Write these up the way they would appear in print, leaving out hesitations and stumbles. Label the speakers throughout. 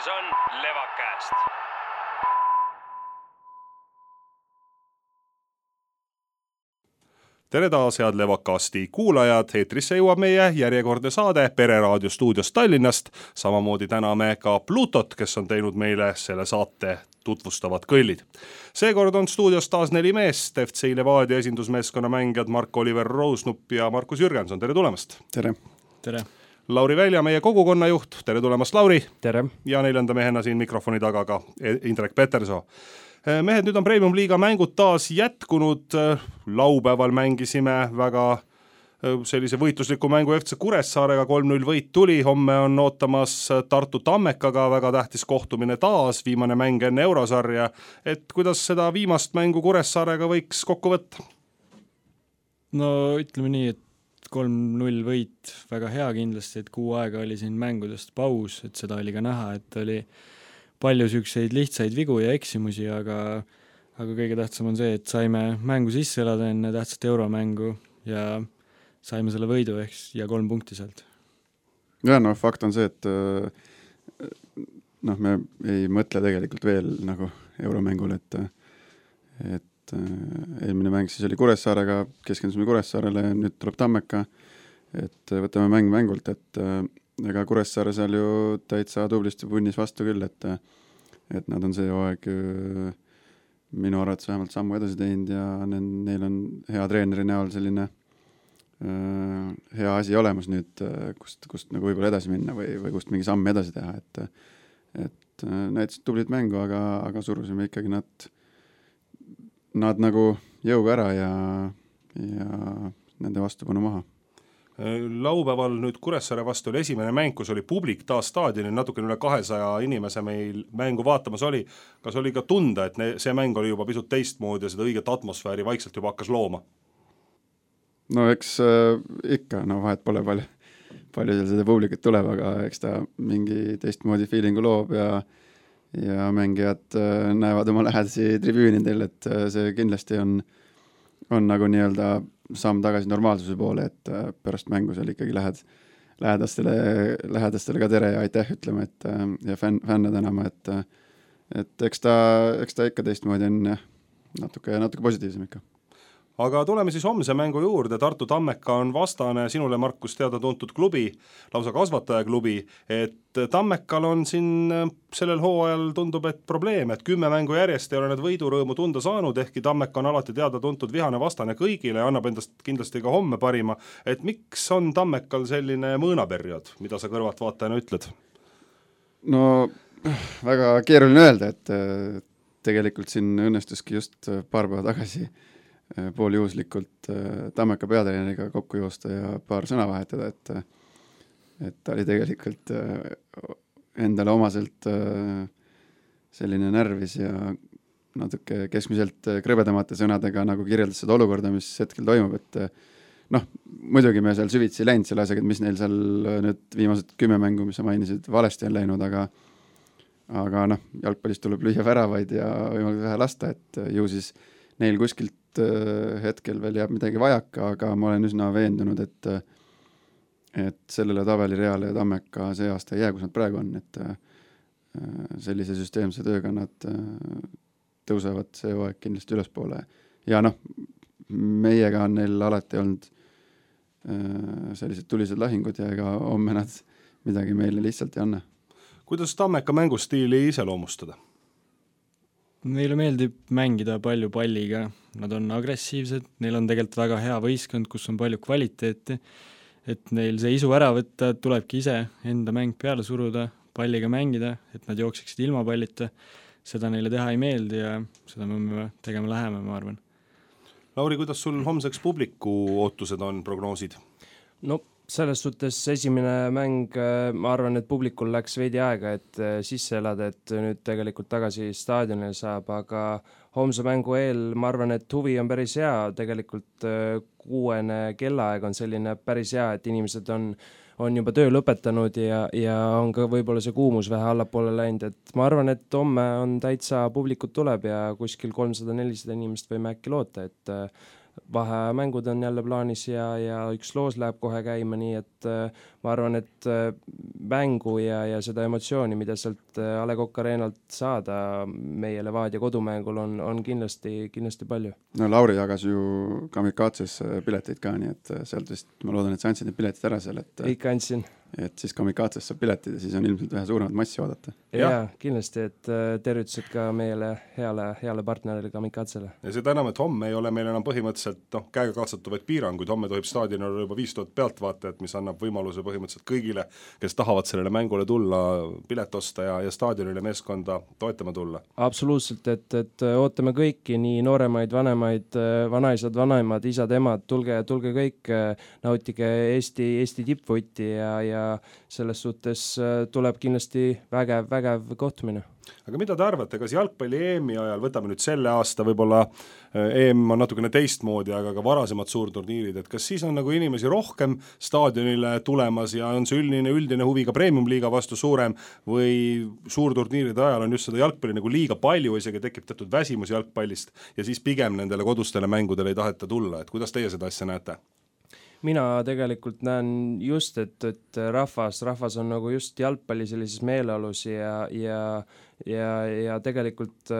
Speaker 1: on Levakast.
Speaker 2: Tere taas, head Levakasti kuulajad, eetrisse jõuab meie järjekordne saade Pereraadio stuudios Tallinnast. Samamoodi täname ka Plutot, kes on teinud meile selle saate tutvustavad kõllid. Seekord on stuudios taas 4 meest, FC Levadia esindusmeeskonna mängijad Mark-Oliver Roosnup ja Markus Jürgenson. Tere tulemast!
Speaker 3: Tere!
Speaker 4: Tere!
Speaker 2: Lauri Välja, meie kogukonnajuht. Tere tulemast, Lauri!
Speaker 4: Tere!
Speaker 2: Ja 4. mehena siin mikrofoni taga ka Indrek Petersoo. Mehed, nüüd on Premium Liiga mängud taas jätkunud. Laupäeval mängisime väga sellise võitlusliku mängu FC Kuressaarega, 3-0 võit tuli. Homme on ootamas Tartu Tammekaga väga tähtis kohtumine taas, viimane mäng enne eurosarja. Et kuidas seda viimast mängu Kuressaarega võiks kokku võtta?
Speaker 4: No ütleme nii, et 3-0 võit väga hea kindlasti, et kuu aega oli siin mängudest paus, et seda oli ka näha, et oli palju sükseid lihtsaid vigu ja eksimusi, aga kõige tähtsam on see, et saime mängu sisse elada enne tähtsat euromängu ja saime selle võidu ja 3 punkti sealt.
Speaker 3: Ja fakt on see, et me ei mõtle tegelikult veel nagu euromängul, et eelmine mäng siis oli Kuressaarega, keskendusime Kuressaarele, nüüd tuleb Tammeka, et võtame mäng mängult, et ega Kuressaare seal ju täitsa tublisti punnis vastu küll, et nad on see hooaeg minu arvates vähemalt sammu edasi teinud ja neil on hea treeneri näol selline hea asi olemas nüüd, kust nagu võib-olla edasi minna või kust mingi samm edasi teha, et näitasid tublit mängu, aga surusime ikkagi nad nagu jõuga ära ja nende vastupanu maha.
Speaker 2: Laupäeval nüüd Kuressaare vastu oli esimene mäng, kus oli publik taas staadionil, natuke üle 200 inimese meil mängu vaatamas oli. Kas oli ka tunda, et see mäng oli juba pisut teistmoodi ja seda õiget atmosfääri vaikselt juba hakkas looma?
Speaker 3: No eks ikka, vahet pole palju seal seda publikut tuleb, aga eks ta mingi teistmoodi feelingu loob ja mängijad näevad oma lähedasi tribüünidel, et see kindlasti on nagu nii-öelda samm tagasi normaalsuse poole, et pärast mängu seal ikkagi lähedastele ka tere ja aitäh ütlema, ja fänne tänama, et eks ta ikka teistmoodi on natuke positiivsem ikka.
Speaker 2: Aga tuleme siis homse mängu juurde. Tartu Tammeka on vastane sinule, Markus, teada tuntud klubi, lausa kasvatajaklubi, et Tammekal on siin sellel hooajal tundub, et probleem, et 10 mängu järjest ei ole need võidurõõmu tunda saanud, ehkki Tammeka on alati teada tuntud vihane vastane kõigile ja annab endast kindlasti ka homme parima. Et miks on Tammekal selline mõõnaperiood, mida sa kõrvalt vaatajana ütled?
Speaker 3: No väga keeruline öelda, et tegelikult siin õnnestuski just paar päeva tagasi pooljuhuslikult Tammeka peatreeneriga kokku joosta ja paar sõna vahetada, et ta oli tegelikult endale omaselt selline närvis ja natuke keskmiselt krõbedamate sõnadega nagu kirjeldas seda olukorda, mis hetkel toimub, et muidugi me seal süvitsi läinud selle asjaga, et mis neil seal nüüd viimased 10 mängu, mis sa mainisid, valesti on läinud, aga jalgpallist tuleb lüüa väravaid ja võimalik vähe lasta, et ju siis neil kuskilt hetkel veel jääb midagi vajaka, aga ma olen üsna veendunud, et sellele tabelireale Tammeka see aasta ei jää, kus nad praegu on, et sellise süsteemse tööga nad tõusevad see hooaeg kindlasti ülespoole. Ja meiega on neil alati olnud sellised tulised lahingud ja ega homme nad midagi meile lihtsalt ei anna.
Speaker 2: Kuidas Tammeka mängustiili iseloomustada?
Speaker 4: Meile meeldib mängida palju palliga, nad on agressiivsed, neil on tegelikult väga hea võistkond, kus on palju kvaliteeti, et neil see isu ära võtta, tulebki ise enda mäng peale suruda, palliga mängida, et nad jooksiksid ilma pallita, seda neile teha ei meeldi ja seda me tegema läheme, ma arvan.
Speaker 2: Lauri, kuidas sul homseks publiku ootused on, prognoosid?
Speaker 5: No selles suhtes esimene mäng, ma arvan, et publikul läks veidi aega, et sisse elada, et nüüd tegelikult tagasi staadionil saab, aga homse mängu eel ma arvan, et huvi on päris hea, tegelikult 6 kellaaeg on selline päris hea, et inimesed on juba töö lõpetanud ja on ka võib-olla see kuumus vähe allapoole läinud, et ma arvan, et homme on täitsa publikut tuleb ja kuskil 300-400 inimest võime äkki loota, et vahemängud on jälle plaanis ja üks loos läheb kohe käima, nii et ma arvan, et mängu ja seda emotsiooni, mida sealt A. Le Coq Arenalt saada meie Levadia kodumängul on kindlasti palju.
Speaker 3: No Lauri jagas ju Kamikatses pileteid ka, nii et sealt vist ma loodan, et sa andsid need piletid ära seal,
Speaker 5: ikka andsin.
Speaker 3: Et siis Kamikatses saab piletid ja siis on ilmselt vähe suuremat massi oodata.
Speaker 5: Jaa, kindlasti, et tervitused ka meile heale partnerile Kamikatsele.
Speaker 2: Ja seda enam, et homme ei ole meil enam põhimõtteliselt käega katsatavaid piiranguid, homme tohib staadionil olla juba 5000 pealtvaatajat, mis annab võimaluse põhimõtteliselt kõigile, kes tahavad sellele mängule tulla, pilet osta ja staadionile meeskonda toetama tulla.
Speaker 5: Absoluutselt, et ootame kõiki, nii nooremaid, vanemaid, vanaisad, vanaimad, isad, emad, tulge kõik, nautige Eesti tippvõtti ja selles suhtes tuleb kindlasti vägev kohtumine.
Speaker 2: Aga mida te arvate, kas jalgpalli EM-i ajal, võtame nüüd selle aasta, võib-olla EM on natukene teistmoodi, aga ka varasemad suurturniirid, et kas siis on nagu inimesi rohkem staadionile tulemas ja on see üldine huvi ka premium-liiga vastu suurem või suurturniiride ajal on just seda jalgpalli nagu liiga palju, isegi tekib teatud väsimus jalgpallist ja siis pigem nendele kodustele mängudele ei taheta tulla, et kuidas teie seda asja näete?
Speaker 5: Mina tegelikult näen just, et rahvas on nagu just jalgpalli sellises meeleolus ja tegelikult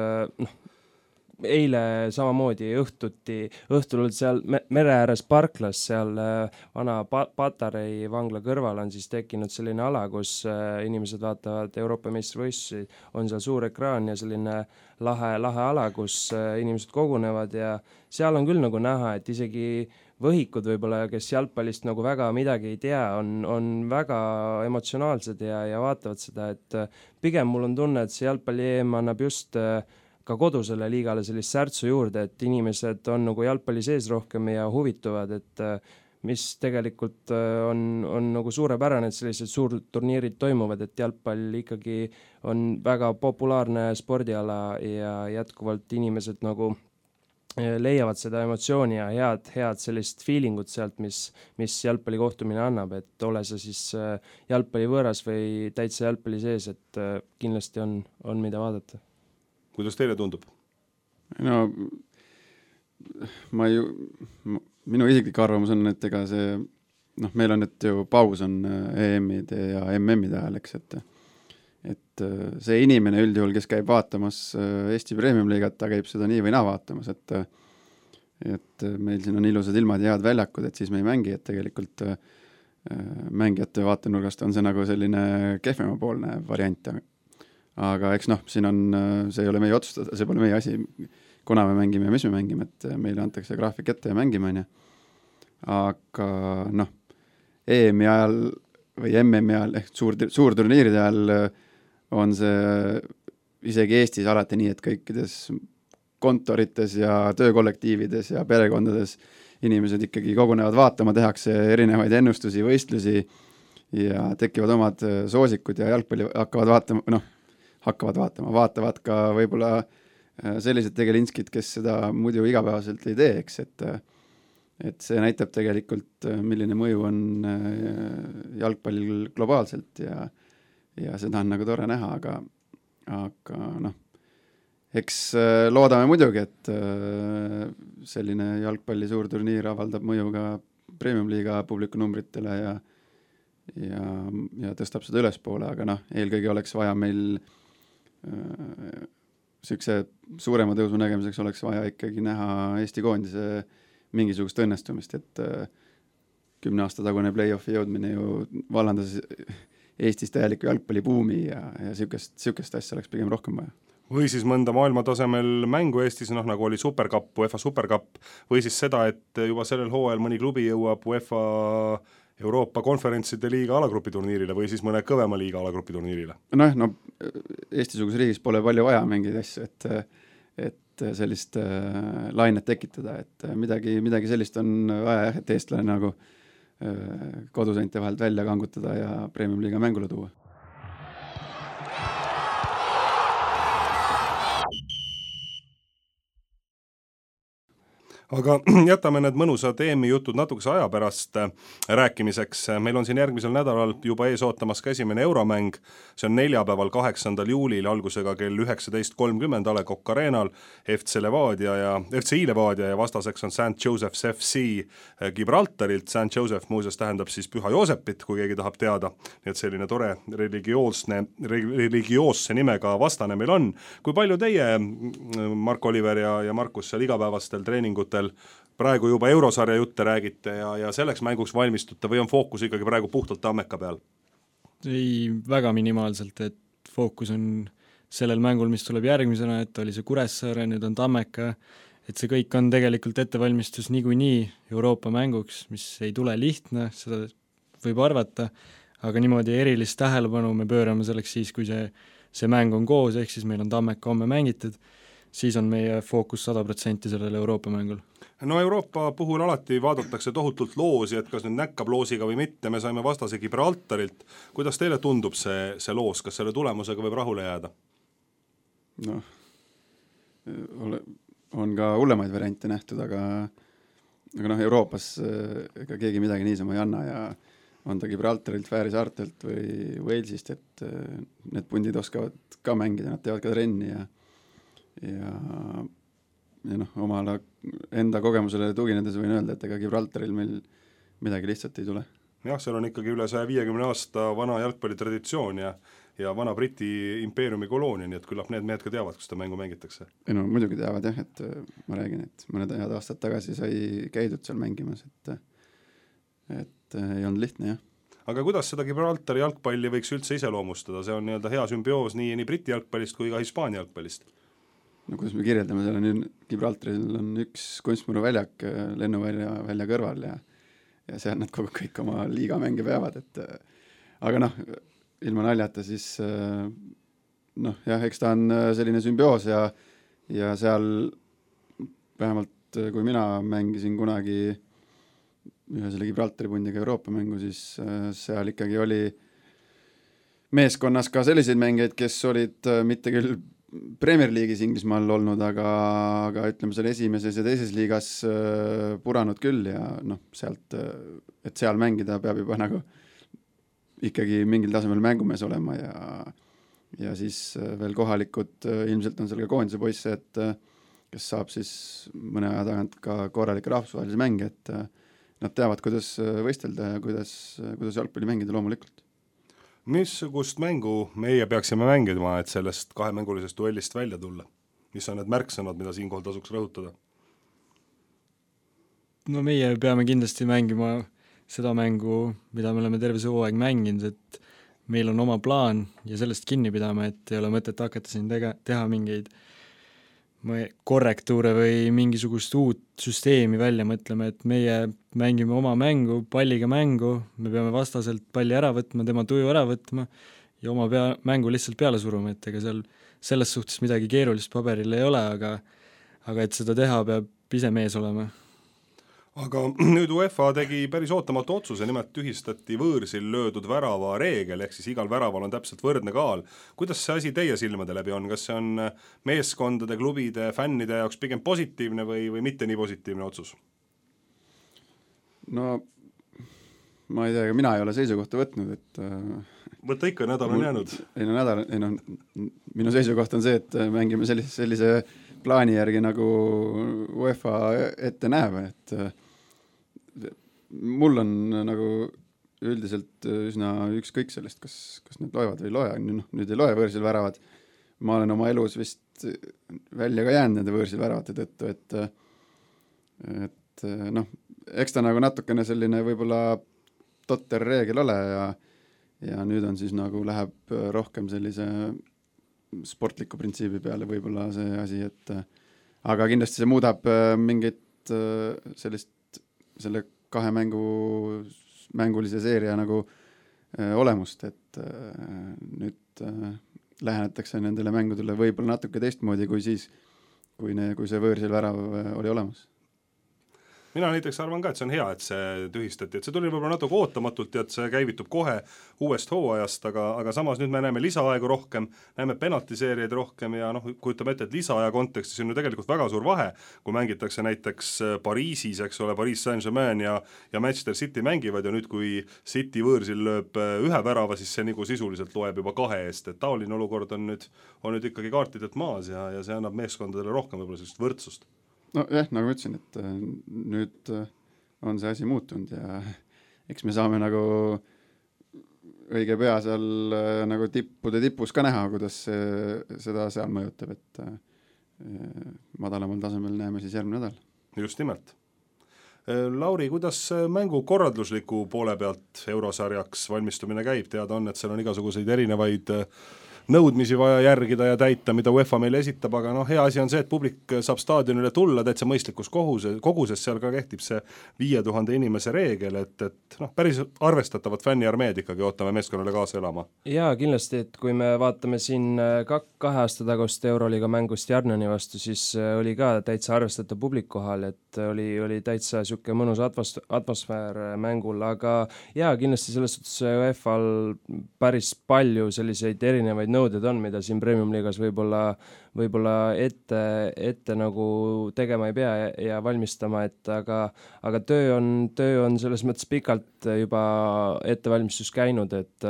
Speaker 5: eile samamoodi õhtul olid seal mere ääres parklas, seal vana Patarei vangla kõrval on siis tekkinud selline ala, kus inimesed vaatavad Euroopa meistrivõistlusi, on seal suur ekraan ja selline lahe ala, kus inimesed kogunevad ja seal on küll nagu näha, et isegi võhikud võib-olla, kes jalgpallist nagu väga midagi ei tea, on väga emotsionaalsed ja vaatavad seda, et pigem mul on tunne, et see jalgpalli EM annab just ka kodusele liigale sellist särtsu juurde, et inimesed on nagu jalgpalli sees rohkem ja huvituvad, et mis tegelikult on nagu suurepärane, et sellised suurturniirid toimuvad, et jalgpall ikkagi on väga populaarne spordiala ja jätkuvalt inimesed nagu leiavad seda emotsiooni ja head sellist feelingut sealt, mis jalgpalli kohtumine annab, et ole see siis jalgpalli võõras või täitsa jalgpalli sees, et kindlasti on mida vaadata.
Speaker 2: Kuidas teile tundub?
Speaker 3: No minu isiklik arvamus on, et ega see, meil on nüüd ju paus on EM-ide ja MM-ide ajal, eks, et see inimene üldjuhul, kes käib vaatamas Eesti Premium-liigat, ta käib seda nii või naa vaatamas, et meil siin on ilusad ilmad ja head väljakud, et siis me ei mängi, et tegelikult mängijate vaatenurgast on see nagu selline kehvemapoolne variant. Aga eks siin on, see ei ole meie otsustada, see pole meie asi, kuna me mängime ja mis me mängime, et meile antakse graafik ette ja mängime, aga EM-i ajal või MM-i ajal ehk suurturniiride ajal on see isegi Eestis alati nii, et kõikides kontorites ja töökollektiivides ja perekondades inimesed ikkagi kogunevad vaatama, tehakse erinevaid ennustusi, võistlusi ja tekivad omad soosikud ja jalgpalli vaatavad ka võib-olla sellised tegelinskid, kes seda muidu igapäevaselt ei tee, eks, et see näitab tegelikult, milline mõju on jalgpallil globaalselt ja seda on nagu tore näha, aga eks loodame muidugi, et selline jalgpalli suurturniir avaldab mõju ka premium-liiga publikunumbritele ja tõstab seda ülespoole, aga eelkõige oleks vaja meil sükse suurema tõusu nägemiseks oleks vaja ikkagi näha Eesti koondise mingisugust õnnestumist, et 10 aasta tagune play-offi jõudmine ju vallandas Eestis täieliku jalgpallibuumi ja sükest asja oleks pigem rohkem vaja.
Speaker 2: Või siis mõnda maailmatasemel mängu Eestis, nagu oli Supercup, UEFA Supercup, või siis seda, et juba sellel hooajal mõni klubi jõuab UEFA Euroopa konverentside liiga alagrupiturniirile või siis mõne kõvema liiga alagrupiturniirile.
Speaker 3: Eesti-suguses riigis pole palju vaja mingeid asju, et sellist lainet tekitada, et midagi sellist on vaja, et eestlane nagu koduseinte vahelt välja kangutada ja premium-liiga mängule tuua.
Speaker 2: aga jätame need mõnusad EM-i jutud natukese aja pärast rääkimiseks. Meil on siin järgmisel nädalal juba ees ootamas ka esimene euromäng, see on neljapäeval 8. juulil algusega kell 19.30 A. Le Coq Arenal FC Levadia ja vastaseks on St. Joseph's FC Gibraltarilt. St. Joseph muuseas tähendab siis Püha Joosepit, kui keegi tahab teada, nii et selline tore religioosse nimega vastane meil on. Kui palju teie, Mark Oliver ja Markus, seal igapäevastel treeningutel praegu juba eurosarja jutte räägite ja selleks mänguks valmistute või on fookus ikkagi praegu puhtalt Tammeka peal?
Speaker 4: Ei, väga minimaalselt, et fookus on sellel mängul, mis tuleb järgmisena, et oli see Kuressaare, nüüd on Tammeka, et see kõik on tegelikult ettevalmistus niikuinii Euroopa mänguks, mis ei tule lihtne, seda võib arvata, aga niimoodi erilist tähelepanu me pöörame selleks siis, kui see mäng on koos, ehk siis meil on Tammeka homme mängitud, siis on meie fookus 100% sellel Euroopa mängul.
Speaker 2: No Euroopa puhul alati vaadatakse tohutult loosi, et kas nüüd näkkab loosiga või mitte, me saime vastase Gibraltarilt. Kuidas teile tundub see loos, kas selle tulemusega võib rahule jääda?
Speaker 3: Noh, on ka hullemaid variante nähtud, aga noh, Euroopas ega keegi midagi niisama ei anna ja on ta Gibraltarilt, Fääri saartelt või Walesist, et need pundid oskavad ka mängida, nad teevad ka trenni ja noh, omale enda kogemusele tuginedes võin öelda, et ega Gibraltaril meil midagi lihtsalt ei tule.
Speaker 2: Jah, seal on ikkagi üle 150 aasta vana jalgpallitraditsioon ja vana Briti impeeriumi koloonia, nii et küllap need mehed ka teavad, kus ta mängu mängitakse.
Speaker 3: Ei no muidugi teavad jah, et ma räägin, et mõned head aastad tagasi sai käidud seal mängimas, et ei olnud lihtne jah.
Speaker 2: Aga kuidas seda Gibraltari jalgpalli võiks üldse iseloomustada? See on nii-öelda hea sümbioos nii Briti jalgpallist kui ka Hispaania jalgpallist.
Speaker 3: No kuidas me kirjeldame, seal on Gibraltaril on üks kunstmuruväljak lennuvälja kõrval ja seal nad kõik oma liigamänge peavad, et aga noh, ilma naljata siis noh, jah, eks ta on selline sümbioos ja seal vähemalt kui mina mängisin kunagi ühe selle Gibraltari pundiga Euroopa mängu, siis seal ikkagi oli meeskonnas ka selliseid mängeid, kes olid mitte küll Premier League'is Inglismaal olnud, aga ütleme seal esimeses ja teises liigas puranud küll ja noh, sealt, et seal mängida peab juba nagu ikkagi mingil tasemel mängumees olema ja siis veel kohalikud, ilmselt on seal ka koondise poisse, et kes saab siis mõne aja tagant ka korralikke rahvusvahelisi mänge, et nad teavad, kuidas võistelda ja kuidas jalgpalli mängida loomulikult.
Speaker 2: Missugust mängu meie peaksime mängima, et sellest kahemängulisest duellist välja tulla? Mis on need märksõnad, mida siinkohal tasuks rõhutada?
Speaker 4: No meie peame kindlasti mängima seda mängu, mida me oleme terve see hooaeg mänginud, et meil on oma plaan ja sellest kinni pidama, et ei ole mõtet hakata siin teha mingeid korrektuure või mingisugust uut süsteemi välja mõtlema, et meie mängime oma mängu, palliga mängu, me peame vastaselt palli ära võtma, tema tuju ära võtma ja oma mängu lihtsalt peale suruma, et ega seal selles suhtes midagi keerulist paberil ei ole, aga et seda teha, peab ise mees olema.
Speaker 2: Aga nüüd UEFA tegi päris ootamatu otsuse, nimelt tühistati võõrsil löödud värava reegel, ehk siis igal väraval on täpselt võrdne kaal. Kuidas see asi teie silmade läbi on? Kas see on meeskondade, klubide, fännide jaoks pigem positiivne või mitte nii positiivne otsus?
Speaker 3: No ma ei tea, mina ei ole seisukohta võtnud, et
Speaker 2: võtta ikka, nädal on jäänud.
Speaker 3: Minu seisukoht on see, et mängime sellise plaani järgi nagu UEFA ette näeb, et mul on nagu üldiselt üsna ükskõik sellest, kas need loevad või ei loe, nüüd ei loe võõrsil väravad. Ma olen oma elus vist välja ka jäänud nende võõrsil väravate tõttu, et noh, eks ta nagu natukene selline võib-olla totter reegel ole ja nüüd on siis nagu läheb rohkem sellise sportliku printsiibi peale võib-olla see asi, et aga kindlasti see muudab mingit selle kahe mängulise seeria nagu olemust, et nüüd lähenetakse nendele mängudele võib-olla natuke teistmoodi kui siis, kui see võõrsil värav oli olemas.
Speaker 2: mina näiteks arvan ka, et see on hea, et see tühistati, et see tuli võib-olla natuke ootamatult ja et see käivitub kohe uuest hooajast, aga samas nüüd me näeme lisaaegu rohkem, näeme penaltiseerijaid rohkem ja kujutame ette, et lisaaja kontekstis on ju tegelikult väga suur vahe, kui mängitakse näiteks Pariisis, eks ole, Paris Saint-Germain ja Manchester City mängivad ja nüüd, kui City võõrsil lööb ühe värava, siis see nagu sisuliselt loeb juba 2 eest, et taoline olukord on nüüd ikkagi kaartidelt maas ja see annab meeskondadele rohkem võib-olla sellist võrdsust.
Speaker 3: No jah, nagu ma ütlesin, et nüüd on see asi muutunud ja eks me saame nagu õige pea seal nagu tippude tipus ka näha, kuidas seda seal mõjutab, et madalamal tasemel näeme siis järgmine nädal.
Speaker 2: Just nimelt. Lauri, kuidas mängu korraldusliku poole pealt eurosarjaks valmistumine käib? Teada on, et seal on igasuguseid erinevaid nõudmisi vaja järgida ja täita, mida UEFA meile esitab, aga hea asi on see, et publik saab staadionile tulla täitsa mõistlikus koguses, seal ka kehtib see 5000 inimese reegel, et päris arvestatavat fänniarmeed ikkagi ootame meeskonnale kaasa elama.
Speaker 5: Jaa, kindlasti, et kui me vaatame siin 2 aasta tagust Euroliiga mängust Jarnani vastu, siis oli ka täitsa arvestatav publik kohal, et oli täitsa siuke mõnus atmosfäär mängul, aga jaa, kindlasti selles suhtes UEFA-l päris palju selliseid erinevaid nõuded on, mida siin Premium liigas võib-olla ette nagu tegema ei pea ja valmistama, et aga töö on selles mõttes pikalt juba ettevalmistus käinud, et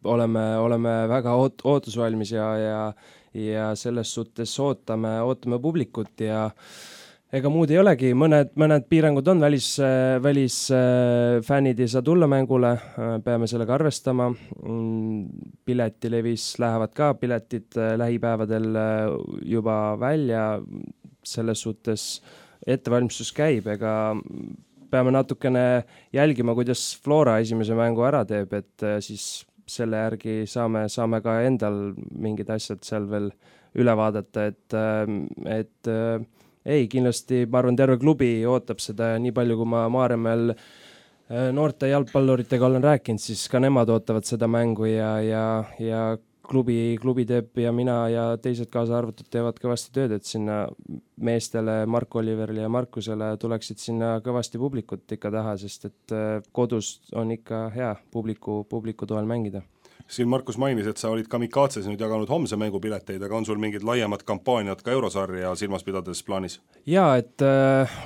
Speaker 5: oleme väga ootusvalmis ja selles suhtes ootame publikut ja ega muud ei olegi, mõned piirangud on, välisfännid ei saa tulla mängule, peame sellega arvestama, piletilevis lähevad ka piletid lähipäevadel juba välja, selles suhtes ettevalmistus käib, ega peame natukene jälgima, kuidas Flora esimese mängu ära teeb, et siis selle järgi saame ka endal mingid asjad seal veel üle vaadata, et ei, kindlasti ma arvan, terve klubi ootab seda ja nii palju, kui ma Maarjamäel noorte jalgpalluritega olen rääkinud, siis ka nemad ootavad seda mängu ja klubi teeb ja mina ja teised kaasa arvatud teevad kõvasti tööd, et sinna meestele, Mark Oliverile ja Markusele tuleksid sinna kõvasti publikut ikka taha, sest et kodus on ikka hea publiku toel mängida.
Speaker 2: Siin Markus mainis, et sa olid Kamikatses nüüd jaganud homse mängupileteid, aga on sul mingid laiemad kampaaniad ka eurosarja silmas pidades plaanis?
Speaker 5: Jaa, et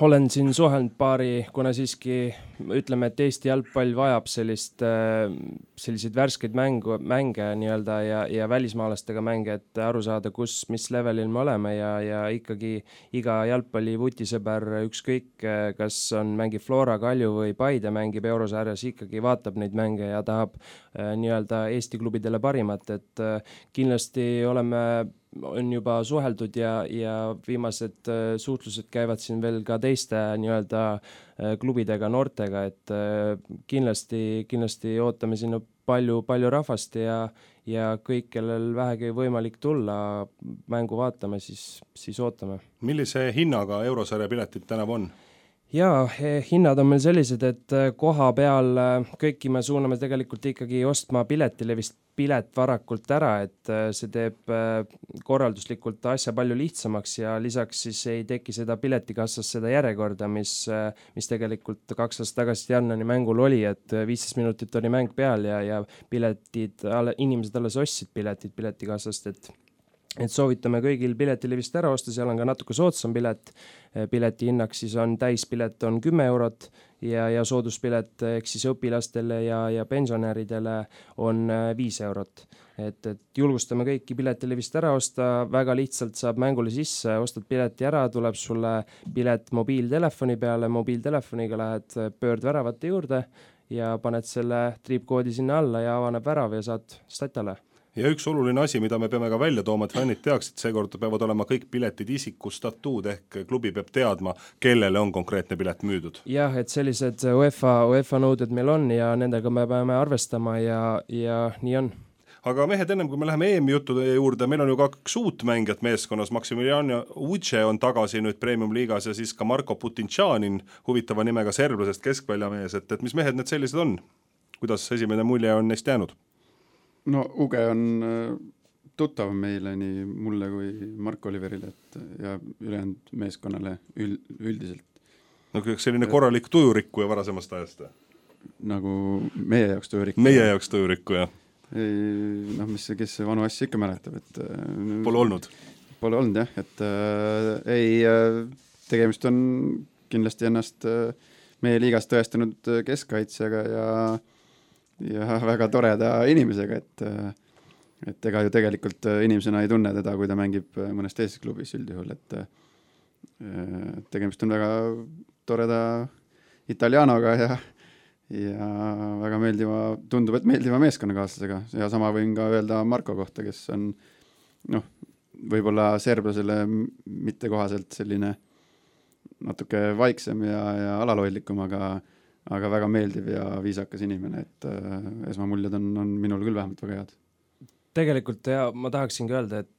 Speaker 5: olen siin suhelnud paari, kuna siiski ütleme, et Eesti jalgpall vajab selliseid värskeid mänge nii-öelda ja välismaalastega mänge, et aru saada, mis levelil me oleme ja ikkagi iga jalgpalli vutisõber ükskõik, kas on mängib Flora, Kalju või Paide mängib eurosarjas, ikkagi vaatab neid mänge ja tahab nii-öelda Eesti klubidele parimat, et kindlasti on juba suheldud ja viimased suhtlused käivad siin veel ka teiste nii-öelda klubidega, noortega, et kindlasti ootame sinna palju rahvast ja kõik, kellel vähegi võimalik tulla mängu vaatame, siis ootame.
Speaker 2: Millise hinnaga eurosarja piletid tänav on?
Speaker 5: Jaa, hinnad on meil sellised, et koha peal kõiki me suuname tegelikult ikkagi ostma piletilevist pilet varakult ära, et see teeb korralduslikult asja palju lihtsamaks ja lisaks siis ei teki seda piletikassas seda järjekorda, mis tegelikult 2 aastat tagasi Jarnani mängul oli, et 15 minutit oli mäng peal ja inimesed alles ostsid piletikassast, et soovitame kõigil piletilevist ära osta, seal on ka natuke soodsam pilet, pileti hinnaks siis on täispilet on 10 eurot ja sooduspilet ehk siis õpilastele ja pensionäridele on 5 eurot. Et julgustame kõiki piletilevist ära osta, väga lihtsalt saab mängule sisse, ostad pileti ära, tuleb sulle pilet mobiiltelefoni peale, mobiiltelefoniga lähed pöördväravate juurde ja paned selle triipkoodi sinna alla ja avaneb värav ja saad statale.
Speaker 2: Ja üks oluline asi, mida me peame ka välja tooma, et fännid teaksid, seekord peavad olema kõik piletid isikustatuud ehk klubi peab teadma, kellele on konkreetne pilet müüdud.
Speaker 5: Jah, et sellised UEFA nõuded meil on ja nendega me peame arvestama ja nii on.
Speaker 2: Aga mehed, ennem kui me läheme EM-i juttude juurde, meil on ju 2 uut mängijat meeskonnas, Maximiliano Uche on tagasi nüüd Premium liigas ja siis ka Marko Putinčanin, huvitava nimega serblasest keskväljamees, et mis mehed need sellised on? Kuidas esimene mulje on neist jäänud?
Speaker 3: No Uge on tuttav meile nii mulle kui Mark Oliverile ja ülejäänud meeskonnale üldiselt.
Speaker 2: no selline korralik tujurikkuja varasemast ajast?
Speaker 3: Nagu meie jaoks tujurikkuja?
Speaker 2: Meie jaoks tujurikkuja.
Speaker 3: Noh, kes vanu asja ikka mäletab, et
Speaker 2: Pole olnud?
Speaker 3: Pole olnud jah, et tegemist on kindlasti ennast meie liigas tõestanud keskkaitsjaga ja väga toreda inimesega, et ega ju tegelikult inimesena ei tunne teda, kui ta mängib mõnes teises klubis üldjuhul, et tegemist on väga toreda italianoga ja väga tundub, et meeldiva meeskonnakaaslasega ja sama võin ka öelda Marko kohta, kes on võib-olla serblasele mittekohaselt selline natuke vaiksem ja alaloidlikum, aga väga meeldiv ja viisakas inimene, et esmamuljed on minul küll vähemalt väga head.
Speaker 5: Tegelikult ja ma tahaksingi öelda, et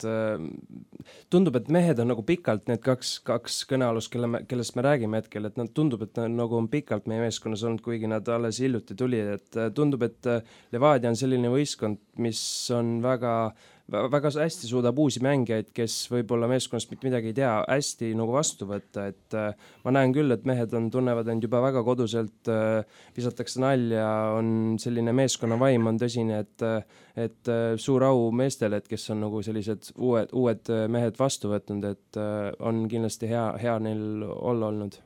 Speaker 5: tundub, et mehed on nagu pikalt need kaks kõnealust, kellest me räägime hetkel, et nad tundub, et nagu on pikalt meie meeskonnas olnud, kuigi nad alles hiljuti tuli, et tundub, et Levadia on selline võistkond, mis on väga hästi suudab uusi mängijaid, kes võib-olla meeskonnast mitte midagi ei tea, hästi nagu vastu võtta, et ma näen küll, et mehed tunnevad end juba väga koduselt, visatakse nalja, on selline meeskonna vaim on tõsine, et suur au meestele, et kes on nagu sellised uued mehed vastu võtnud, et on kindlasti hea neil olla olnud.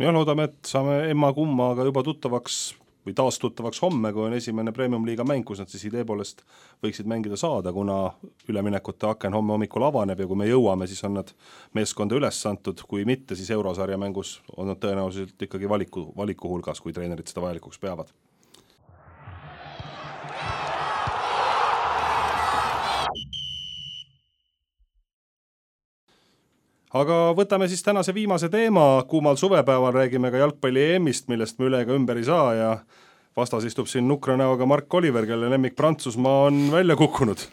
Speaker 2: Ja loodame, et saame emma-kummaga juba tuttavaks või taas tuttavaks homme, kui on esimene Premium-liiga mäng, kus nad siis idee poolest võiksid mängida saada, kuna üleminekute aken homme hommikul avaneb ja kui me jõuame, siis on nad meeskonda üles antud, kui mitte, siis eurosarja mängus on nad tõenäoliselt ikkagi valiku hulgas, kui treenerid seda vajalikuks peavad. Aga võtame siis tänase viimase teema, kuumal suvepäeval räägime ka jalgpalli EM-ist, millest me üle ega ümber ei saa ja vastas istub siin nukra näoga Mark Oliver, kelle lemmik Prantsusmaa on välja kukkunud.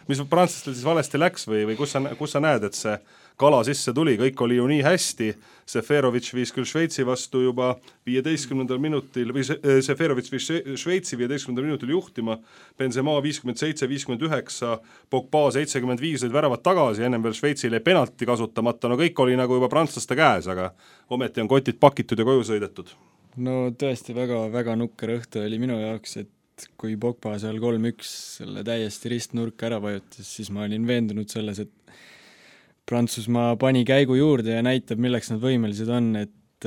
Speaker 2: Mis prantslastel siis valesti läks või kus sa näed, et see kala sisse tuli, kõik oli ju nii hästi, Seferovic viis küll Šveitsi vastu juba 15. minutil, või Seferovic viis Šveitsi 15. minutil juhtima, Benzema 57-59, Pogba 75 olid väravad tagasi, ennem veel Šveitsile penalti kasutamata, no kõik oli nagu juba prantslaste käes, aga ometi on kotid pakitud ja koju sõidetud.
Speaker 4: No tõesti väga nukker õhtu oli minu jaoks, et kui Pogba seal 3-1 selle täiesti ristnurka ära vajutas, siis ma olin veendunud selles, et Prantsusmaa pani käigu juurde ja näitab, milleks nad võimelised on, et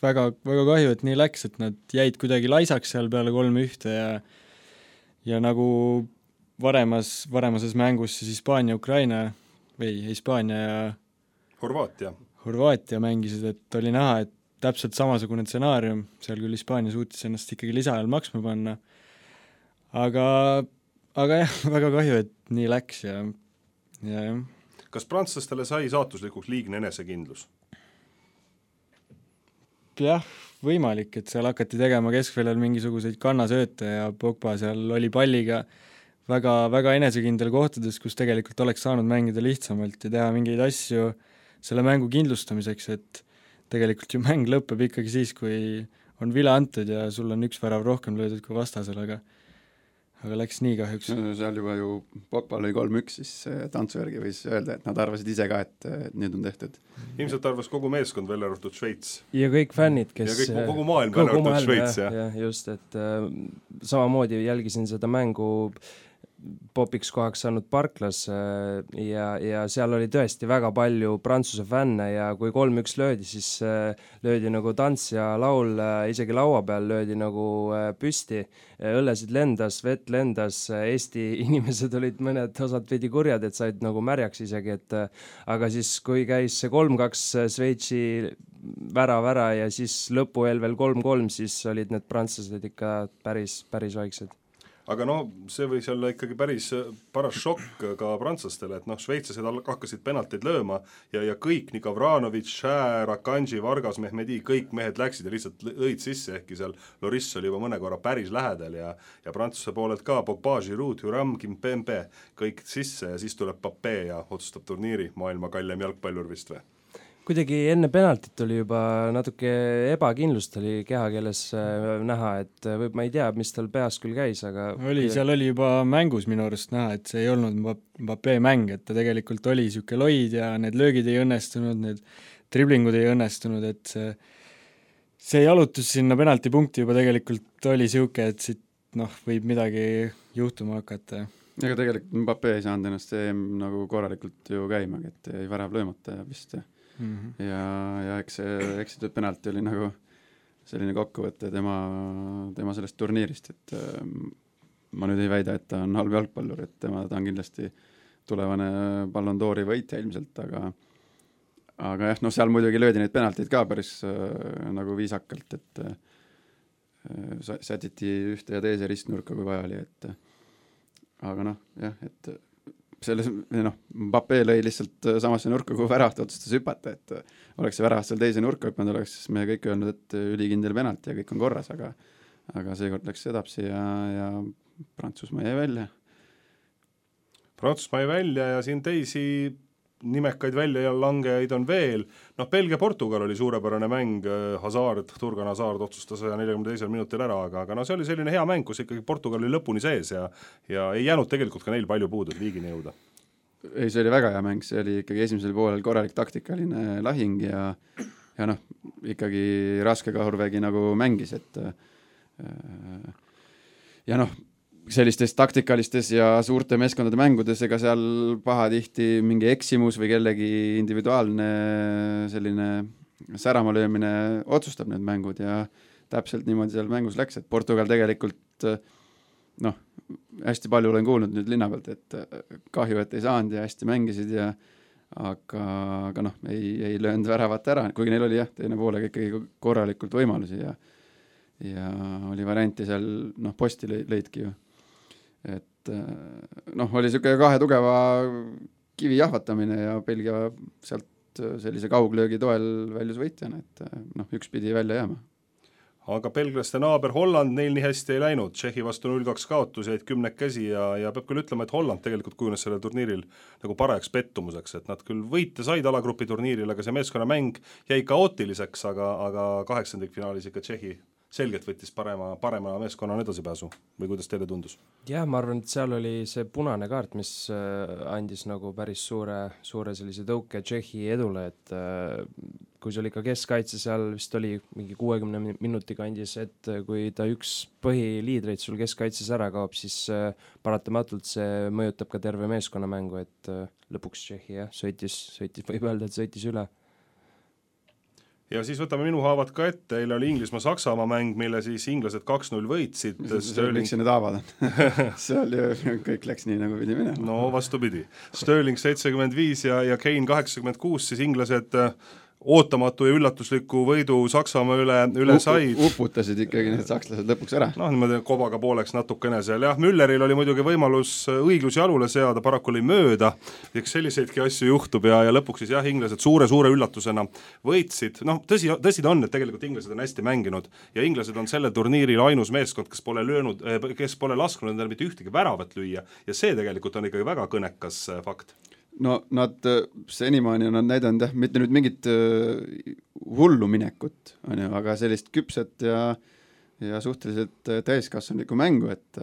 Speaker 4: väga kahju, et nii läks, et nad jäid kuidagi laisaks seal peale 3-1 ja nagu varemases mängus siis Hispaania-Ukraina või Hispaania ja Horvaatia mängisid, et oli näha, et täpselt samasugune stsenaarium, seal küll Hispaania suutis ennast ikkagi lisaajal maksma panna, aga jah, väga kahju, et nii läks ja.
Speaker 2: Kas prantslastele sai saatuslikuks liigne enesekindlus?
Speaker 4: Jah, võimalik, et seal hakati tegema keskväljal mingisuguseid kannasööte ja Pogba seal oli palliga väga enesekindel kohtades, kus tegelikult oleks saanud mängida lihtsamalt ja teha mingeid asju selle mängu kindlustamiseks, et tegelikult ju mäng lõpeb ikkagi siis, kui on vile antud ja sul on üks värav rohkem löödud kui vastasel, aga läks nii kahjuks.
Speaker 3: Seal juba ju Pogba lõi 3-1, siis tantsujärgi võis öelda, et nad arvasid ise ka, et nüüd on tehtud.
Speaker 2: Ilmselt arvas kogu meeskond välja arvatud Šveits.
Speaker 5: Ja kõik fännid, kes...
Speaker 2: Ja kogu maailm välja arvatud Šveits, jah.
Speaker 5: Ja, just, et samamoodi jälgisin seda mängu popiks kohaks saanud Parklas ja seal oli tõesti väga palju Prantsuse fänne ja kui 3-1 löödi, siis löödi nagu tants ja laul, isegi laua peal löödi nagu püsti, õllesid lendas, vett lendas, Eesti inimesed olid mõned osad veidi kurjad, et said nagu märjaks isegi, et aga siis kui käis see 3-2 Šveitsi vära ja siis lõpueel veel 3-3, siis olid need prantslased ikka päris vaiksed.
Speaker 2: Aga see võis olla ikkagi päris paras šokk ka prantslastele, et šveitslased hakkasid penalteid lööma ja kõik, nii Gavranovic, Šär, Akanji, Vargas, Mehmedi, kõik mehed läksid ja lihtsalt lõid sisse, ehkki seal Loris oli juba mõne korra päris lähedal ja Prantsuse poolelt ka Pogba, Giroud, Thuram, Kimpembe, kõik sisse ja siis tuleb Papé ja otsustab turniiri, maailma kallim jalgpallur vist või?
Speaker 5: Kuidagi enne penaltit oli juba natuke ebakindlust oli kehakeeles näha, et ma ei tea, mis tal peas küll käis, aga...
Speaker 4: Seal oli juba mängus minu arust näha, et see ei olnud Mbappé mäng, et ta tegelikult oli siuke loid ja need löögid ei õnnestunud, need driblingud ei õnnestunud, et see jalutus sinna penaltipunkti juba tegelikult oli siuke, et siit võib midagi juhtuma hakata.
Speaker 3: Ega tegelikult Mbappé ei saanud ennast nagu korralikult ju käimagi, et ei värav löömata vist ja eks see penalti oli nagu selline kokkuvõte tema sellest turniirist, et ma nüüd ei väida, et ta on halb jalgpallur, et ta on kindlasti tulevane Ballon d'Ori võitja ilmselt, aga jah, seal muidugi löödi neid penaltid ka päris nagu viisakalt, et sätiti ühte ja teise ristnurka, kui vaja oli, et aga jah, et selles, Mbappé lõi lihtsalt samasse nurka, kui väravat otsustas hüpata, et oleks see väravat seal teise nurka hüpanud, oleks me kõik öelnud, et ülikindel penalti ja kõik on korras, aga seekord läks edapsi ja Prantsusmaa jäi välja.
Speaker 2: Prantsusmaa jäi välja ja siin teisi nimekaid välja ja langejaid on veel. Belgia-Portugal oli suurepärane mäng, Turgan Hazard otsustas 142. minutil ära, aga see oli selline hea mäng, kus ikkagi Portugal oli lõpuni sees ja ei jäänud tegelikult ka neil palju puudu, et liigini jõuda.
Speaker 3: Ei, see oli väga hea mäng, see oli ikkagi esimesel poolel korralik taktikaline lahing ja ikkagi raske kahurvägi nagu mängis, et ja sellistes taktikalistes ja suurte meeskondade mängudes, ega seal pahatihti mingi eksimus või kellegi individuaalne selline särama löömine otsustab need mängud ja täpselt niimoodi seal mängus läks, et Portugal tegelikult hästi palju olen kuulnud nüüd linna pealt, et kahju, et ei saanud ja hästi mängisid aga ei löönud väravat ära, kuigi neil oli teine poolega ikkagi korralikult võimalusi ja oli varianti seal, posti lõidki ju. Et oli siuke kahe tugeva kivi jahvatamine ja Belgia sealt sellise kauglöögi toel väljus võitjana, et üks pidi välja jääma.
Speaker 2: Aga belglaste naaber Holland, neil nii hästi ei läinud, Tšehhi vastu 0-2 kaotus, jäid 10 käsi ja peab küll ütlema, et Holland tegelikult kujunes sellel turniiril nagu parajaks pettumuseks, et nad küll võite said alagrupi turniiril, aga see meeskonna mäng jäi kaootiliseks, aga 8. finaalis ikka Tšehhi selgelt võttis parema meeskonnana edasipääsu või kuidas teile tundus?
Speaker 5: Jah, ma arvan, et seal oli see punane kaart, mis andis nagu päris suure sellise tõuke Tšehhi edule, et kui see oli ka keskkaitse seal, vist oli mingi 60 minuti kandis, et kui ta üks põhiliidreid sul keskkaitses ära kaob, siis paratamatult see mõjutab ka terve meeskonna mängu, et lõpuks Tšehhi sõitis, võib öelda, et sõitis üle.
Speaker 2: Ja siis võtame minu haavad ka ette, eile oli Inglismaa-Saksamaa mäng, mille siis inglased 2-0 võitsid.
Speaker 3: Miks see need haavad on? Seal ju kõik läks nii, nagu pidi minema.
Speaker 2: No vastupidi. Sterling 75 ja Kane 86, siis inglased ootamatu ja üllatusliku võidu Saksamaa üle said.
Speaker 3: Uputasid ikkagi need sakslased lõpuks ära.
Speaker 2: Niimoodi kobaga pooleks natukene seal. Jah, Mülleril oli muidugi võimalus õiglus jalule seada, paraku oli mööda. Eks selliseidki asju juhtub ja lõpuks siis inglased suure üllatusena võitsid. Tõsi ta on, et tegelikult inglased on hästi mänginud ja inglased on selle turniiril ainus meeskond, kes pole lasknud endale mitte ühtegi väravat lüüa ja see tegelikult on ikkagi väga kõnekas fakt.
Speaker 3: Nad senimaani on näidanud mitte nüüd mingit hullu minekut, aga sellist küpset ja suhteliselt täiskasvanulikku mängu, et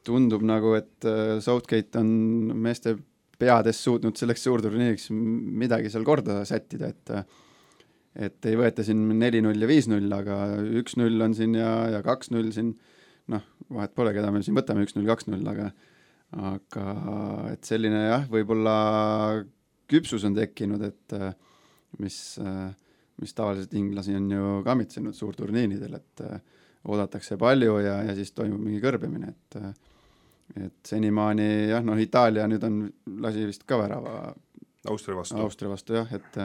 Speaker 3: tundub nagu, et Southgate on meeste peades suutnud selleks suurturniiriks midagi seal korda sättida, et ei võeta siin 4-0 ja 5-0, aga 1-0 on siin ja 2-0 siin, vahet pole, keda me siin võtame 1-0, 2-0, aga et selline võib-olla küpsus on tekkinud, et mis tavaliselt inglasi on ju kamitsenud suurturniinidel, et oodatakse palju ja siis toimub mingi kõrbemine, et senimaani Itaalia nüüd lasi vist ka värava Austria vastu et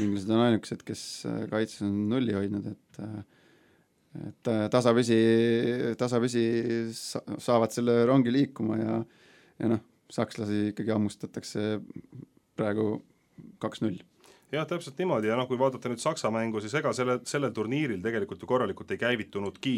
Speaker 3: inglased on ainukesed, kes kaitses on nulli hoidnud, et tasapisi saavad selle rongi liikuma ja sakslasi ikkagi ammustatakse praegu 2-0.
Speaker 2: Jah, täpselt niimoodi ja kui vaadata nüüd Saksa mängu, siis ega sellel turniiril tegelikult ju korralikult ei käivitunudki,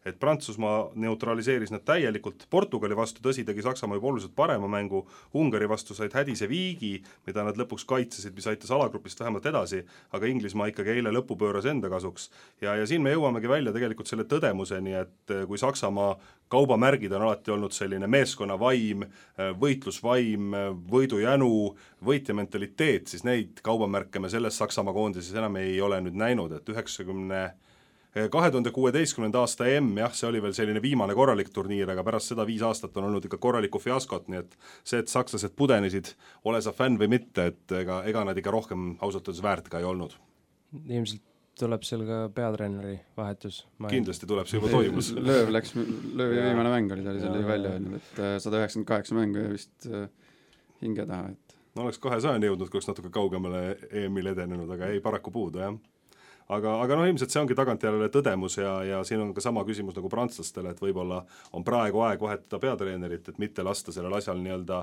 Speaker 2: et Prantsusmaa neutraliseeris nad täielikult Portugali vastu, tõsi tegi Saksamaa juba oluliselt parema mängu, Ungari vastu said hädise viigi, mida nad lõpuks kaitsesid, mis aitas alagrupist vähemalt edasi, aga Inglismaa ikkagi eile lõppu pööras enda kasuks. Ja siin me jõuamegi välja tegelikult selle tõdemuseni, et kui Saksamaa kaubamärgid on alati olnud selline meeskonnavaim, võitlusvaim, võidujänu, võitja mentaliteet, siis neid kaubamärke rohkem me selles Saksamaa koondises enam ei ole nüüd näinud, et 2016. aasta EM, jah, see oli veel selline viimane korralik turniir, aga pärast seda 5 aastat on olnud ikka korralikku fiaskot, nii et see, et sakslased pudenisid, ole sa fänn või mitte, et ega nad ikka rohkem ausalt öeldes väärt ka ei olnud.
Speaker 5: Ilmselt tuleb seal ka peatreeneri vahetus.
Speaker 2: Kindlasti tuleb see juba toimus.
Speaker 3: Löövi viimane mäng oli, ta oli selle välja öelnud, et 198 mängu ja vist hinge taha, et
Speaker 2: no oleks 200 jõudnud, kui oleks natuke kaugemale EM-il edenenud, aga ei paraku puudu, jah. Aga no ilmselt see ongi tagantjärele tõdemus ja siin on ka sama küsimus nagu prantslastele, et võib-olla on praegu aeg vahetada peatreenerit, et mitte lasta sellel asjal nii-öelda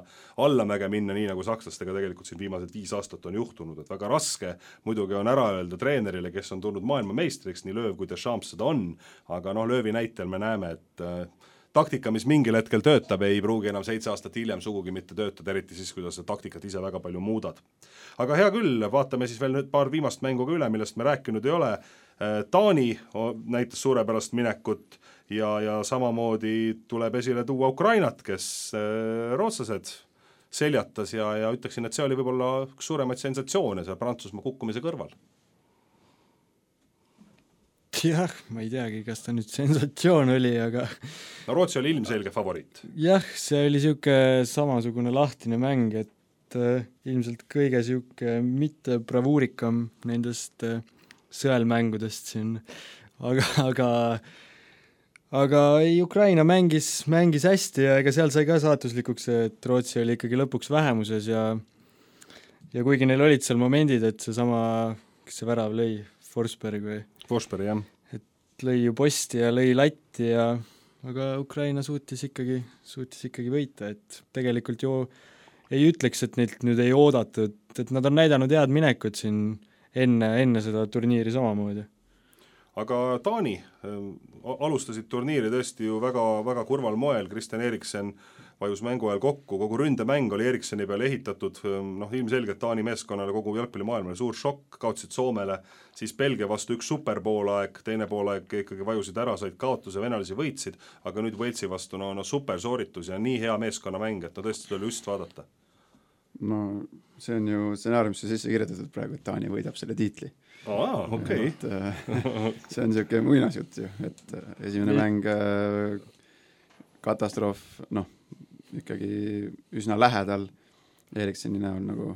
Speaker 2: allamäge minna, nii nagu sakslastega tegelikult siin viimased 5 aastat on juhtunud, et väga raske muidugi on ära öelda treenerile, kes on tulnud maailmameistriks, nii Lööv kui Deschamps seda on, aga noh, Löövi näitel me näeme, et taktika, mis mingil hetkel töötab, ei pruugi enam 7 aastat hiljem sugugi mitte töötada, eriti siis, kuidas taktikat ise väga palju muudad. Aga hea küll, vaatame siis veel nüüd paar viimast mängu ka üle, millest me rääkinud ei ole. Taani näitas suurepärast minekut ja samamoodi tuleb esile tuua Ukrainat, kes rootslased seljatas ja ütleksin, et see oli võib-olla üks suuremaid sensatsioone seal Prantsusmaa kukkumise kõrval.
Speaker 4: Jah, ma ei teagi, kas ta nüüd sensatsioon oli, aga
Speaker 2: no Rootsi oli ilmselge favoriit.
Speaker 4: Jah, see oli siuke samasugune lahtine mäng, et ilmselt kõige siuke mitte bravuurikam nendest sõelmängudest siin, aga ei, Ukraina mängis hästi ja ega seal sai ka saatuslikuks, et Rootsi oli ikkagi lõpuks vähemuses ja kuigi neil olid seal momendid, et see sama, kes see värav lõi, Forsberg, jah. Et lõi ju posti ja lõi latti aga Ukraina suutis ikkagi võita, et tegelikult ju ei ütleks, et neilt nüüd ei oodatud, et nad on näidanud head minekut siin enne seda turniiri samamoodi.
Speaker 2: Aga Taani alustasid turniiri tõesti ju väga, väga kurval moel, Christian Eriksen vajus mängu ajal kokku, kogu ründemäng oli Erikseni peale ehitatud, noh ilmselgelt Taani meeskonnale kogu jalgpallimaailmale suur šokk, kaotasid Soomele, siis Belgia vastu üks superpoolaeg, teine poolaeg ikkagi vajusid ära, said kaotuse, venelasi võitsid, aga nüüd Walesi vastu no super sooritus ja nii hea meeskonnamäng, et no tõesti tuli just vaadata.
Speaker 3: No see on ju stsenaariumisse sisse kirjutatud praegu, et Taani võidab selle tiitli.
Speaker 2: Okay.
Speaker 3: See on niisugune muinasjutt ju, et esimene mäng katastroof, noh, ikkagi üsna lähedal Erikseni näol nagu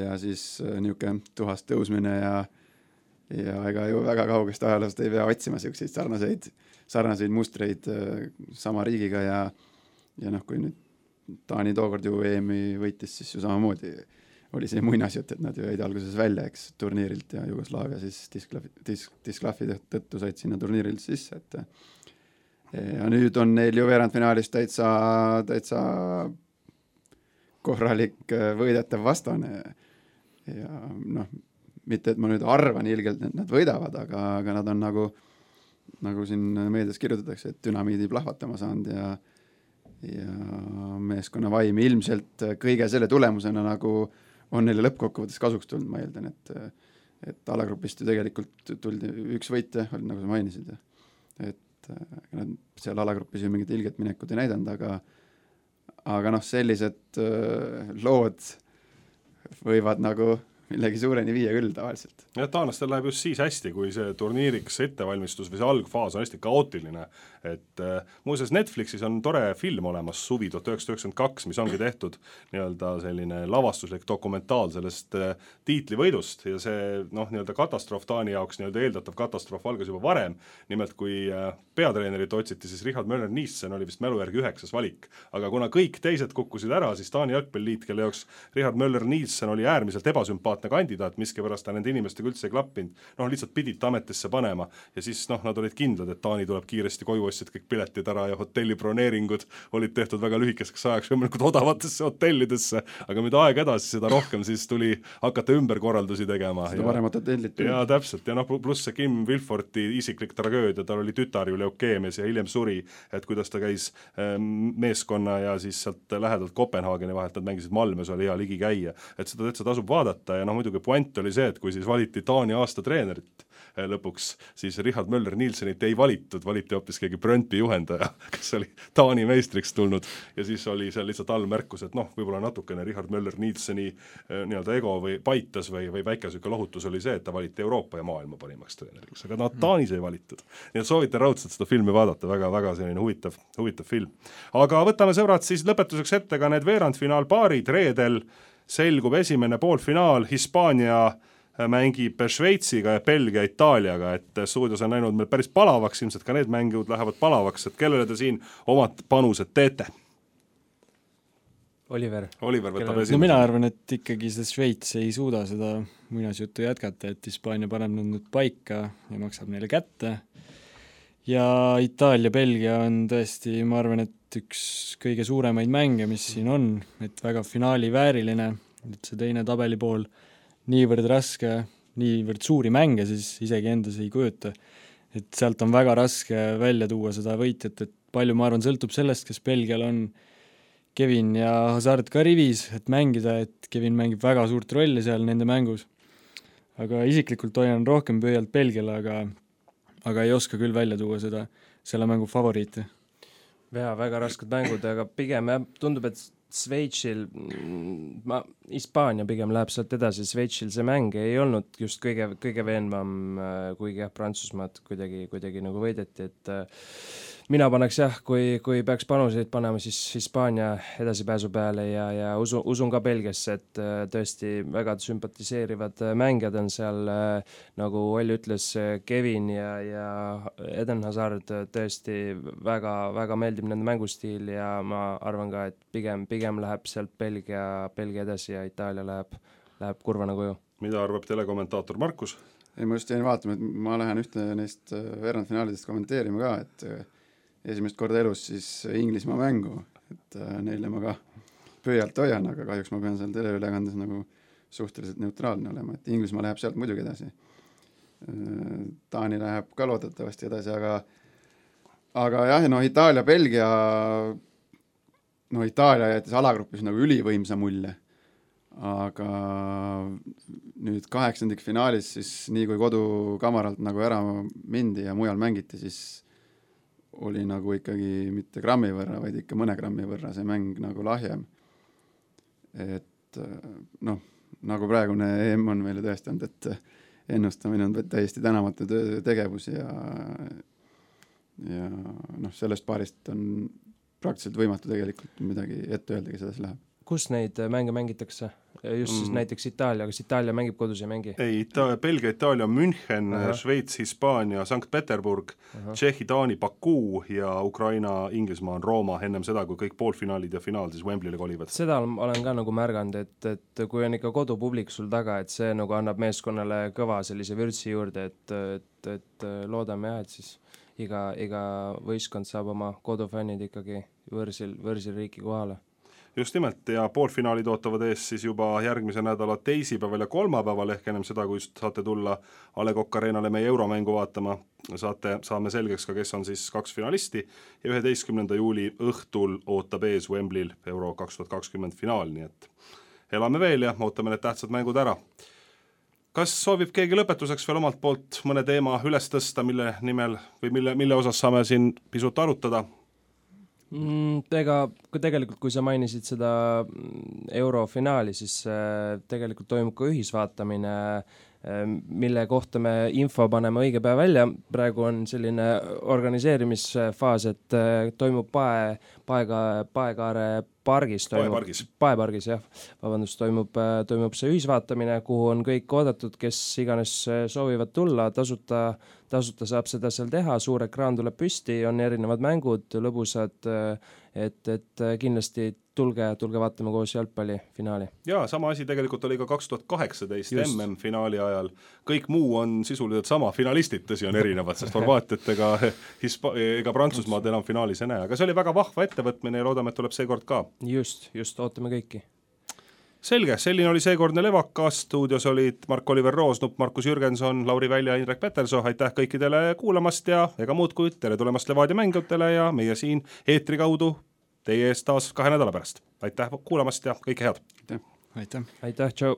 Speaker 3: ja siis niisugune tuhast tõusmine ja ega ju väga kaugest ajaloost ei pea otsima selliseid sarnaseid mustreid sama riigiga ja noh, kui nüüd Taani tookord ju EM-i võitis, siis ju samamoodi oli see muinasjutt, et nad ju jäid alguses välja, eks, turniirilt ja Jugoslaavia siis disklahvi tõttu said sinna turniirilt sisse, et ja nüüd on neil ju veerandfinaalis täitsa korralik võidetav vastane ja noh, mitte et ma nüüd arvan ilgelt, et nad võidavad, aga nad on nagu siin meedias kirjutatakse, et dünamiidi plahvatama saanud ja meeskonna vaim ilmselt kõige selle tulemusena nagu on neile lõppkokkuvõttes kasuks tulnud, ma eeldan, et alagrupist ju tegelikult tuldi üks võitja, nagu sa mainisid, et nad seal alagrupis ju mingit ilget minekut ei näidanud, aga noh, sellised lood võivad nagu millegi suureni viia küll tavaliselt.
Speaker 2: Ja taanlastel läheb just siis hästi, kui see turniiriks ettevalmistus või see algfaas on hästi kaootiline, et muuseas Netflixis on tore film olemas, Suvi 1992, mis ongi tehtud nii-öelda selline lavastuslik dokumentaal sellest tiitlivõidust ja see noh, nii-öelda katastroof Taani jaoks, nii-öelda eeldatav katastroof algas juba varem, nimelt kui peatreenerit otsiti, siis Richard Möller-Nielsen oli vist mälu järgi 9. valik, aga kuna kõik teised kukkusid ära, siis Taani jalgpalliliit, kelle jaoks Richard Möller-Nielsen oli äärmiselt ebasümpaatne kandidaat, miskipärast ta nende inimestega üldse ei klappinud, noh lihtsalt pidid ametisse panema ja siis noh, nad olid kindlad, et Taani tuleb kiiresti koju, ostsid kõik piletid ära ja hotelliproneeringud olid tehtud väga lühikeseks ajaks võimalikult odavatesse hotellidesse, aga mida aeg edasi, seda rohkem siis tuli hakata ümberkorraldusi tegema.
Speaker 3: Seda paremat hotellit tuli.
Speaker 2: Ja täpselt, ja noh, pluss see Kim Wilforti isiklik tragöödia, tal oli tütar ju leukeemias ja hiljem suri, et kuidas ta käis meeskonna ja siis sealt lähedalt Kopenhaageni vahelt, nad mängisid Malmös, oli hea ligi käia, et seda tasub vaadata ja muidugi puent oli see, et kui siis valiti Taani aasta treenerit lõpuks, siis Richard Möller-Nielsenit ei valitud, valiti hoopis keegi Brøndby juhendaja, kes oli Taani meistriks tulnud ja siis oli seal lihtsalt allmärkus, et võib-olla natukene Richard Möller-Nielseni nii-öelda ego või paitas või väikesüke lohutus oli see, et ta valiti Euroopa ja maailma parimaks treeneriks, aga Taanis ei valitud. Nii et soovitan raudselt seda filmi vaadata, väga selline huvitav film. Aga võtame sõbrad siis lõpetuseks ette ka need veerandfinaalpaarid, reedel selgub esimene poolfinaal, Hispaania mängib Šveitsiga ja Belgia Itaaliaga, et stuudios on läinud meil päris palavaks, ilmselt ka need mängud lähevad palavaks, et kellele te siin omad panused teete?
Speaker 5: Oliver
Speaker 2: võtab esimese.
Speaker 4: No mina arvan, et ikkagi see Šveits ei suuda seda muinasjuttu jätkata, et Hispaania paneb nad nüüd paika ja maksab neile kätte ja Itaalia-Belgia on tõesti, ma arvan, et üks kõige suuremaid mänge, mis siin on, et väga finaali vääriline, et see teine tabelipool niivõrd raske, niivõrd suuri mänge siis isegi endas ei kujuta. Et sealt on väga raske välja tuua seda võitjat, et palju, ma arvan, sõltub sellest, kes Belgial on Kevin ja Hazard ka rivis, et mängida, et Kevin mängib väga suurt rolli seal nende mängus. Aga isiklikult hoian rohkem pöialt Belgiale, aga ei oska küll välja tuua selle mängu favoriite.
Speaker 5: Väga rasked mängud, aga pigem tundub, et Šveitsil, Hispaania pigem läheb sealt edasi, Šveitsil see mäng ei olnud just kõige veenvam, kuigi Prantsusmaad kuidagi nagu võideti, et mina paneks kui peaks panuseid panema, siis Hispaania edasipääsu peale ja usun ka Belgiasse, et tõesti väga sümpatiseerivad mängijad on seal, nagu Olli ütles, Kevin ja Eden Hazard, tõesti väga meeldib nende mängustiil ja ma arvan ka, et pigem läheb sealt Belgia edasi ja Itaalia läheb kurvana koju.
Speaker 2: Mida arvab telekommentaator Markus?
Speaker 3: Ei, ma just jäin vaatama, et ma lähen ühte neist veerandfinaalidest kommenteerima ka, et esimest korda elus siis Inglismaa mängu, et neile ma ka pöialt hoian, aga kahjuks ma pean seal teleülekandes nagu suhteliselt neutraalne olema, et Inglismaa läheb sealt muidugi edasi. Taani läheb ka loodetavasti edasi, aga jah, Itaalia-Belgia, Itaalia jättis alagrupis nagu ülivõimsa mulje, aga nüüd 8. finaalis siis nii kui kodukamaralt nagu ära mindi ja mujal mängiti, siis oli nagu ikkagi mitte grammi võrra, vaid ikka mõne grammi võrra see mäng nagu lahjem. Et nagu praegune EM on meile tõestanud, et ennustamine on täiesti tänamatu tegevus ja sellest paarist on praktiliselt võimatu tegelikult midagi ette öelda, kes edasi läheb.
Speaker 5: Kus neid mänge mängitakse? Just siis näiteks Itaalia, kas Itaalia mängib kodus ja mängi?
Speaker 2: Ei, Belgia, Itaalia, München, Šveits, Hispaania, Sankt Peterburg, Tšehhi, Taani, Baku ja Ukraina, Inglismaa on Rooma ennem seda, kui kõik poolfinaalid ja finaal siis Wembley'le kolivad. Seda
Speaker 5: olen ka nagu märganud, et kui on ikka kodupublik sul taga, et see nagu annab meeskonnale kõva sellise vürtsi juurde, et loodame et siis iga võistkond saab oma kodufännid ikkagi võrsil riiki kohale.
Speaker 2: Just nimelt ja poolfinaalid ootavad ees siis juba järgmise nädala teisipäeval ja kolmapäeval ehk ennem seda, kui saate tulla A. Le Coq Arenale meie euromängu vaatama, saame selgeks ka, kes on siis 2 finalisti ja 11. juuli õhtul ootab ees Wembley'l Euro 2020 finaal, nii et elame veel ja ootame need tähtsad mängud ära. Kas soovib keegi lõpetuseks veel omalt poolt mõne teema üles tõsta, mille nimel või mille osas saame siin pisut arutada?
Speaker 5: Tegelikult kui sa mainisid seda eurofinaali, siis tegelikult toimub ka ühisvaatamine, mille kohta me info paneme õige päev välja. Praegu on selline organiseerimisfaas, et toimub Paekaare Paepargis, jah. Vabandust, toimub see ühisvaatamine, kuhu on kõik oodatud, kes iganes soovivad tulla, tasuta saab seda seal teha, suur ekraan tuleb püsti, on erinevad mängud, lõbusad, et kindlasti tulge vaatame koos jalgpallifinaali. Jaa,
Speaker 2: sama asi tegelikult oli ka 2018 MM-finaali ajal. Kõik muu on sisuliselt sama, finalistid tõsi on erinevad, sest Horvaatiat ega Prantsusmaad enam finaalis ei näe, aga see oli väga vahva ettevõtmine ja loodame, et tuleb seekord ka.
Speaker 5: Just, ootame kõiki.
Speaker 2: Selge, selline oli seekordne Levakas, stuudios olid Mark-Oliver Roosnup, Markus Jürgenson, Lauri Välja ja Indrek Peterso, aitäh kõikidele kuulamast ja ega muud kui tere tulemast Levadia mängijatele ja meie siin eetri kaudu teie eest taas 2 nädala pärast. Aitäh kuulamast ja kõike head!
Speaker 4: Aitäh!
Speaker 5: Aitäh, tšau!